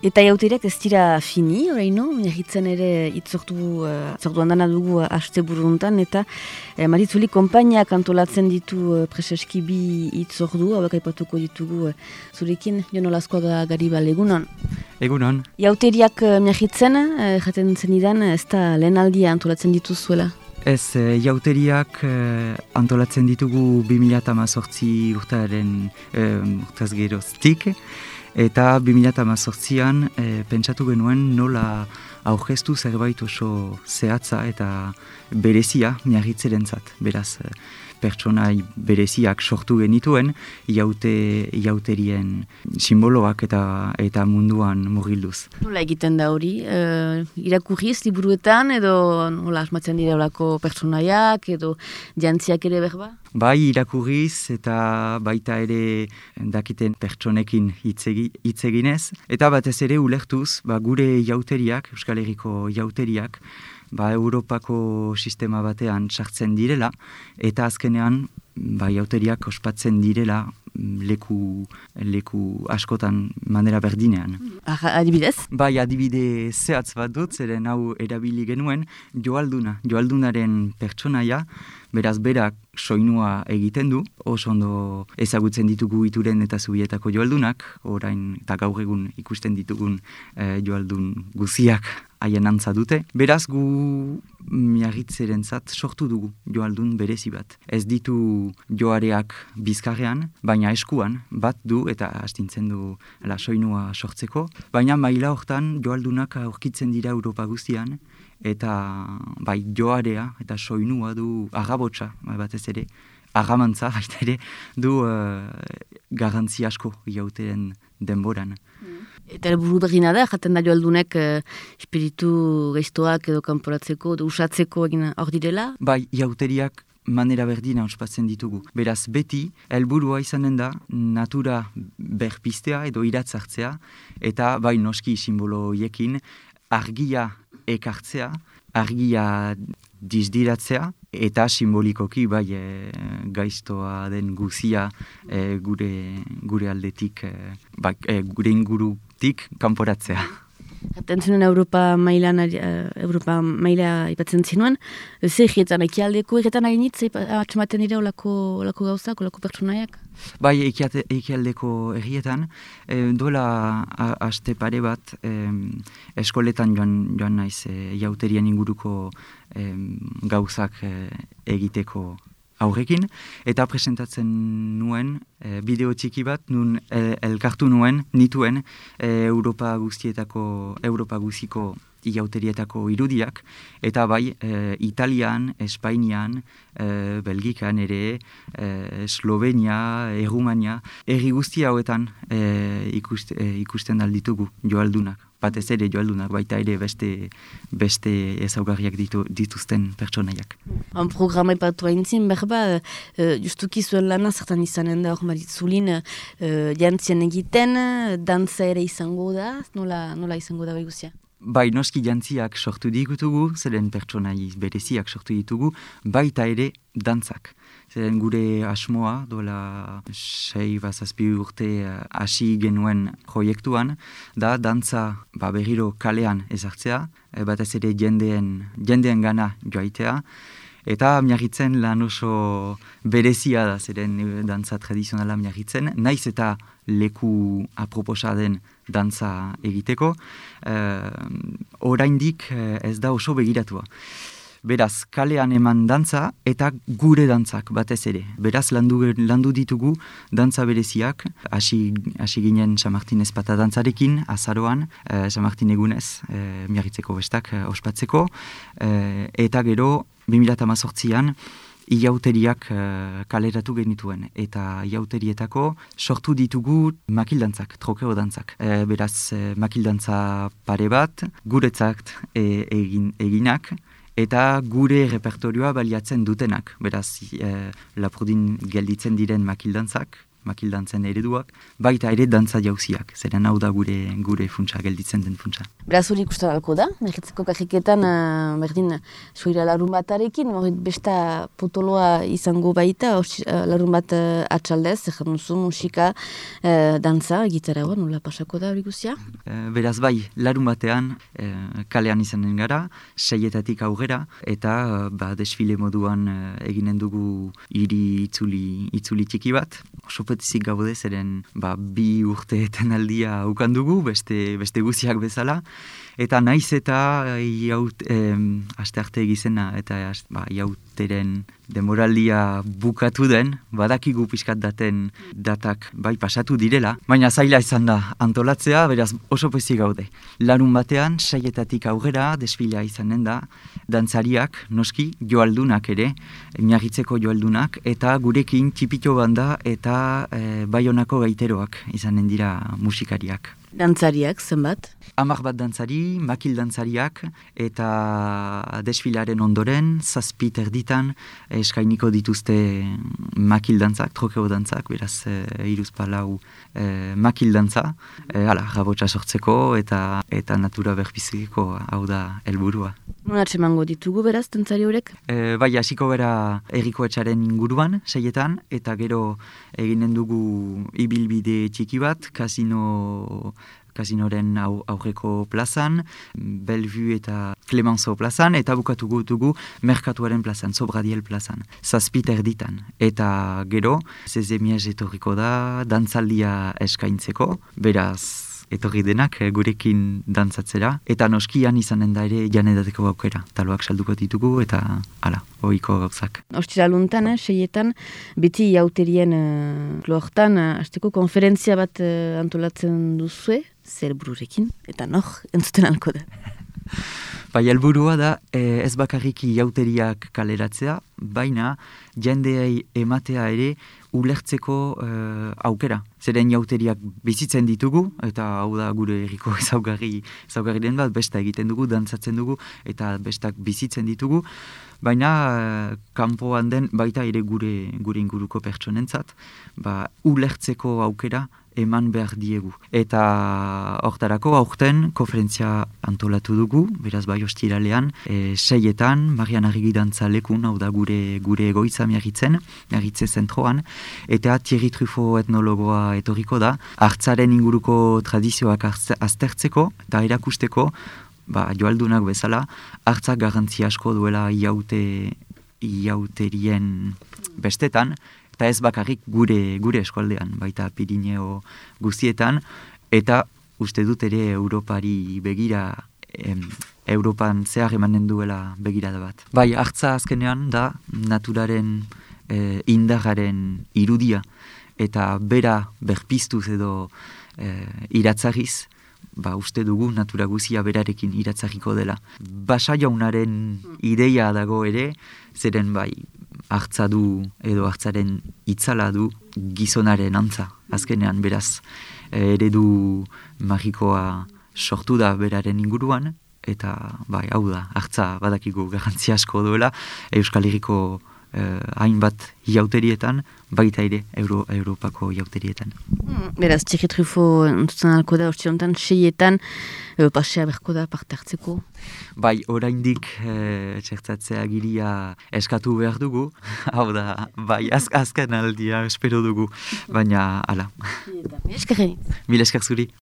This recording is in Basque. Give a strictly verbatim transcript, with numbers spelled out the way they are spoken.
Eta jauteriak ez dira fini, oraino, miagitzen ere itzortu, uh, itzortu handana dugu uh, aste buruntan, eta uh, Maritzuli konpainiak antolatzen ditu uh, preseski bi itzordu, hauek aipatuko ditugu uh, zurekin, Jon Olazkoaga Garibal, egunon? Egunon. Jauteriak uh, miagitzen, uh, jaten zenidan, ez da lehen aldia antolatzen dituzuela? Ez, e, jauteriak e, antolatzen ditugu bi mila hamazortzi urtaren e, urtaz geroztik, eta bi mila hamazortzian e, pentsatu genuen nola aurkeztu zerbait oso zehatza eta berezia miagitzerentzat. Beraz, e, pertsonai bereziak sortu genituen jaute, jauterien simboloak eta eta munduan murgilduz. Nola egiten da hori? E, irakurriz liburuetan edo nola asmatzen dira olako pertsonaiak edo jantziak ere berba? Bai irakurriz eta baita ere dakiten pertsonekin hitz eginez. Eta batez ere ulertuz ba, gure jauteriak, Euskal Herriko jauteriak, ba, Europako sistema batean sartzen direla, eta azkenean ba, jauteriak ospatzen direla leku, leku askotan manera berdinean. Ah, adibidez? Bai, adibide zehatz bat dut, zeren hau erabili genuen, joalduna, joaldunaren pertsonaia, beraz berak soinua egiten du, oso ondo ezagutzen ditugu Ituren eta Zubietako joaldunak, orain eta gaur egun ikusten ditugun eh, joaldun guziak haien antza dute. Beraz gu miagitzerentzat sortu dugu joaldun berezi bat. Ez ditu joareak bizkarrean, baina eskuan bat du eta astintzen du la soinua sortzeko. Baina maila hortan joaldunak aurkitzen dira Europa guztian, eta bai joarea eta soinua du agabotsa batez ere, agamantza baita ere du uh, garrantzi asko jauteren denboran. Eta helburu berrina da, jaten da joaldunek eh, espiritu gaiztoak edo kanporatzeko, edo usatzeko egin hor direla? Bai, jauteriak manera berdina ospatzen ditugu. Beraz, beti, helburua izanen da natura berpiztea edo iratzartzea, eta bai noski simbolo hiekin argia ekartzea, argia dizdiratzea, eta simbolikoki bai e, gaiztoa den guzia e, gure, gure aldetik, e, bai, e, gure ingurutik kanporatzea. Jaten zenuen Europa mailan, uh, Europa maila ipatzen zinuen, zer egietan, ekialdeko egietan hainitz, atxematen dira olako, olako gauzak, olako pertsonaiak? Bai, ekialdeko errietan, e, dola aste pare bat e, eskoletan joan, joan naiz e, jauterien inguruko e, gauzak e, egiteko aurrekin, eta presentatzen nuen e, bideo txiki bat, nun el, elkartu nuen, nituen e, Europa guztietako, Europa guziko jauterietako irudiak, eta bai e, Italian, Espainian, e, Belgikan ere, e, Slovenia, Errumania, herri guzti hauetan e, ikust, e, ikusten alditugu joaldunak. Batez ere joaldunak, baita ere beste, beste ezaugarriak ditu, dituzten pertsonaiak. Han programa ipatu haintzin, berba, uh, justuki zuen lana zertan izanen da hor Maritzulin, uh, jantzien egiten, dantza ere izango da, nola, nola izango da bai guzia? Bai, noski jantziak sortu ditugu, zeren pertsonai bereziak sortu ditugu, baita ere dantzak. Zeren gure asmoa, dola sei bazazpi urte hasi genuen proiektuan, da dantza ba, berriro kalean ezartzea, batez ere jendeen, jendeen gana joaitea, eta miagitzen lan oso berezia da, zeren dantza tradizionala miagitzen, naiz eta leku aproposa den dantza egiteko, uh, oraindik ez da oso begiratua. Beraz, kalean eman dantza eta gure dantzak batez ere. Beraz, landu, landu ditugu dantza bereziak, hasi hasi ginen San Martin ezpata dantzarekin, azaroan, eh, San Martin egunez, eh, miagitzeko bestak eh, ospatzeko, eh, eta gero, bi mila hamazortzian, iauteriak uh, kaleratu genituen, eta iauterietako sortu ditugu makildantzak, trokeo dantzak. E, beraz, e, makildantza pare bat, guretzat e, egin, eginak, eta gure repertorioa baliatzen dutenak. Beraz, e, Lapurdin gelditzen diren makildantzak, makildantzen ereduak, baita ere dantza jauziak, zeren hau da gure gure funtsa, gelditzen den funtsa. Beraz hori ikusten alko da, Miagitzeko kajiketan, uh, berdin, soira larun batarekin, besta potoloa izango baita, uh, larun bat uh, atxaldez, ezan duzu musika, uh, dantza, gitarra hor, nola pasako da hori guzia? Uh, beraz bai, larun batean, uh, kalean izanen gara, seietatik aurrera, eta uh, ba, desfile moduan uh, eginen dugu hiri itzuli, itzuli txiki bat, oso petizik gaude, zeren ba, bi urteetan aldia ukan dugu, beste, beste guziak bezala, eta naiz eta jaut, eh, aste arte egizena eta ba, jauteren demoraldia bukatu den, badakigu pixkat daten datak bai pasatu direla, baina zaila izan da antolatzea, beraz oso pozik gaude. Larun batean, saietatik aurrera, desfilea izanen da, dantzariak, noski, joaldunak ere, Miagitzeko joaldunak, eta gurekin txipito banda eta eh, Baionako gaiteroak izanen dira musikariak. Dantzariak, zenbat? Hamar bat dantzari, makil dantzariak, eta desfilaren ondoren, zazpi terditan, eskainiko dituzte makil dantzak, trokeo dantzak, beraz, e, iruz palau e, makil dantza, e, ala, rabotsa sortzeko, eta eta natura berpiziko, hau da helburua. Non atsemango ditugu beraz, dantzari horrek? E, bai, hasiko gara Herriko Etxaren inguruan, seietan, eta gero eginen dugu ibilbide txiki bat, kasino... Kasinoren au, aurreko plazan, Bellevue eta Clemenceau plazan, eta bukatugu dugu Merkatuaren plazan, Sobradiel plazan, zazpiter ditan. Eta gero, zezemiez etorriko da, dantzaldia eskaintzeko, beraz, etorri denak gurekin dantzatzera, eta noskian izanen da ere janedateko aukera. Taloak salduko ditugu, eta hala, ohiko gauzak. Ostiraluntan, eh, seietan, beti jauterien uh, lortan, uh, azteko konferentzia bat uh, antolatzen duzue, zer bururekin, eta nor, entzuten alko da. Bai, helburua da eh, ez bakarriki jauteriak kaleratzea, baina jendeei ematea ere ulertzeko eh, aukera. Zeren jauteriak bizitzen ditugu, eta hau da gure herriko ezaugarri, ezaugarri den bat, besta egiten dugu, dantzatzen dugu, eta bestak bizitzen ditugu, baina eh, kanpoan den baita ere gure, gure inguruko pertsonentzat, ba, ulertzeko aukera eman behar diegu. Eta hortarako aurten konferentzia antolatu dugu, beraz bai ostiralean, e, seietan, Marian Arrigi dantza lekun, hau da gure gure egoitza Miagitzen, Miagitze zentroan, eta Thierry Truffaut etnologoa etorriko da, hartzaren inguruko tradizioak aztertzeko eta erakusteko, ba, joaldunak bezala, hartzak garrantzi asko duela iaute, iauterien bestetan, eta ez bakarrik gure gure eskualdean, baita Pirineo guztietan, eta uste dut ere Europari begira, em, Europan zehar emanen duela begirada bat. Bai, hartza azkenean da naturaren e, indarraren irudia, eta bera berpiztuz edo e, iratzarriz, ba, uste dugu natura guzia berarekin iratzarriko dela. Basa jaunaren ideia dago ere, zeren bai, hartza du edo hartzaren itzala du gizonaren antza. Azkenean, beraz, eredu magikoa sortu da beraren inguruan, eta bai, hau da, hartza badakigu garrantzi asko duela, Euskal Herriko eh, hainbat jauterietan, baita ere Euro, Europako jauterietan. Hmm, beraz, Thierry Truffaut entzutzen alko da, ostiontan, seietan, e, pasea berko da parte hartzeko? Bai, oraindik e, txertatzea giria eskatu behar dugu, hau da, bai, az, azken aldia espero dugu, baina, ala. Mil esker zuri. Mil esker zuri.